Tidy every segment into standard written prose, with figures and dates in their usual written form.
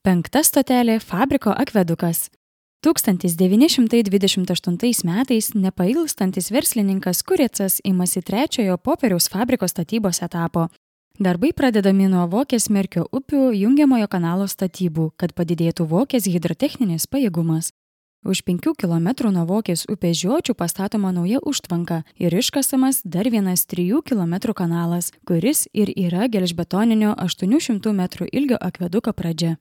Penkta stotelė – fabriko akvedukas. 1928 metais nepailstantis verslininkas Kuricas imasi trečiojo popieriaus fabriko statybos etapo. Darbai pradedami nuo Vokės Merkio upių jungiamojo kanalo statybų, kad padidėtų Vokės hidrotechninis pajėgumas. Už 5 km nuo Vokės upės žiočių pastatoma nauja užtvanka ir iškasamas dar vienas 3 km kanalas, kuris ir yra gelžbetoninio 800 metrų ilgio akveduko pradžia.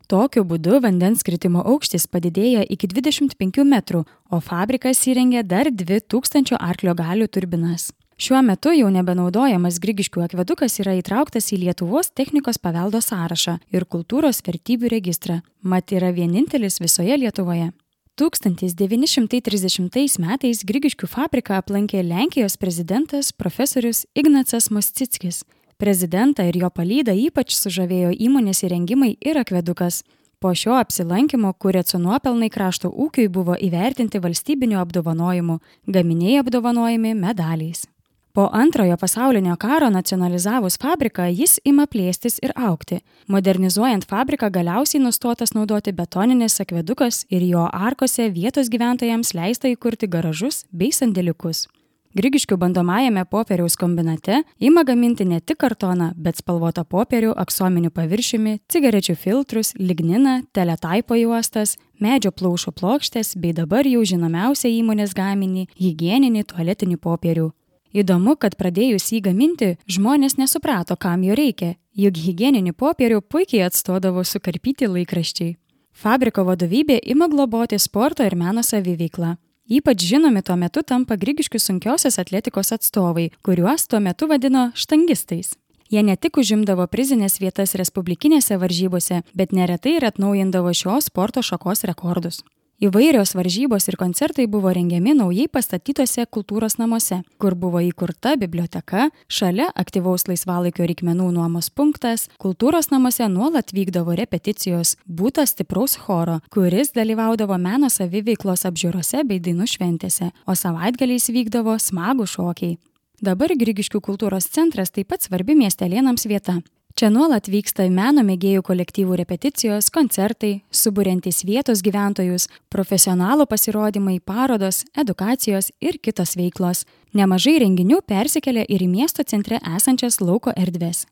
Tokiu būdu vandens kritimo aukštis padidėja iki 25 metrų, o fabrikas įrengė dar 2000 arklio galių turbinas. Šiuo metu jau nebenaudojamas Grigiškių akvedukas yra įtrauktas į Lietuvos technikos paveldo sąrašą ir kultūros vertybių registrą, mat yra vienintelis visoje Lietuvoje. 1930 metais Grigiškių fabriką aplankė Lenkijos prezidentas profesorius Ignacas Moscickis. Prezidentą ir jo palydą ypač sužavėjo įmonės įrengimai ir akvedukas. Po šio apsilankimo Kurico nuopelnai krašto ūkiui buvo įvertinti valstybiniu apdovanojimu, gaminiai apdovanojami medaliais. Po Antrojo pasaulinio karo nacionalizavus fabriką jis ima plėstis ir augti. Modernizuojant fabriką galiausiai nustotas naudoti betoninis akvedukas ir jo arkose vietos gyventojams leista įkurti garažus bei sandėliukus. Grigiškių bandomajame popieriaus kombinate ima gaminti ne tik kartoną, bet spalvotą popierių aksominiu paviršiumi, cigarečių filtrus, ligniną, teletaipo juostas, medžio plaušo plokštės bei dabar jau žinomiausią įmonės gaminį – higieninį tualetinį popierių. Įdomu, kad pradėjus jį gaminti, žmonės nesuprato, kam jo reikia, juk higieninį popierių puikiai atstodavo sukarpyti laikraščiai. Fabriko vadovybė ima globoti sporto ir meno saviveiklą. Ypač žinomi tuo metu tampa Grigiškių sunkiosios atletikos atstovai, kuriuos tuo metu vadino štangistais. Jie ne tik užimdavo prizinės vietas respublikinėse varžybose, bet neretai ir atnaujindavo šios sporto šakos rekordus. Įvairios varžybos ir koncertai buvo rengiami naujai pastatytose kultūros namuose, kur buvo įkurta biblioteka, šalia aktyvaus laisvalaikio reikmenų nuomos punktas, kultūros namuose nuolat vykdavo repeticijos, būta stipraus choro, kuris dalyvaudavo meno saviveiklos apžiūrose bei dainų šventėse, o savaitgaliais vykdavo smagų šokiai. Dabar Grigiškių kultūros centras taip pat svarbi miestelėnams vieta. Čia nuolat vyksta meno mėgėjų kolektyvų repeticijos, koncertai, suburiantys vietos gyventojus, profesionalų pasirodymai, parodos, edukacijos ir kitos veiklos. Nemažai renginių persikelia ir į miesto centre esančias lauko erdvės.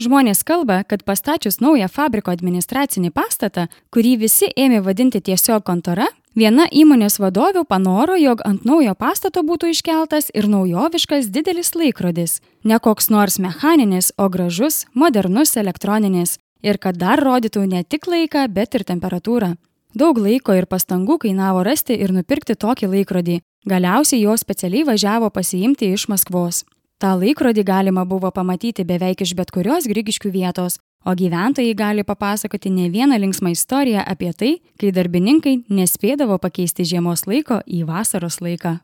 Žmonės kalba, kad pastačius naują fabriko administracinį pastatą, kurį visi ėmė vadinti tiesiog kontora, viena įmonės vadovių panoro, jog ant naujo pastato būtų iškeltas ir naujoviškas didelis laikrodis. Ne koks nors mechaninis, o gražus, modernus elektroninis. Ir kad dar rodytų ne tik laiką, bet ir temperatūrą. Daug laiko ir pastangų kainavo rasti ir nupirkti tokį laikrodį. Galiausiai jo specialiai važiavo pasiimti iš Maskvos. Ta laikrodį galima buvo pamatyti beveik iš bet kurios Grigiškių vietos, o gyventojai gali papasakoti ne vieną linksmą istoriją apie tai, kai darbininkai nespėdavo pakeisti žiemos laiko į vasaros laiką.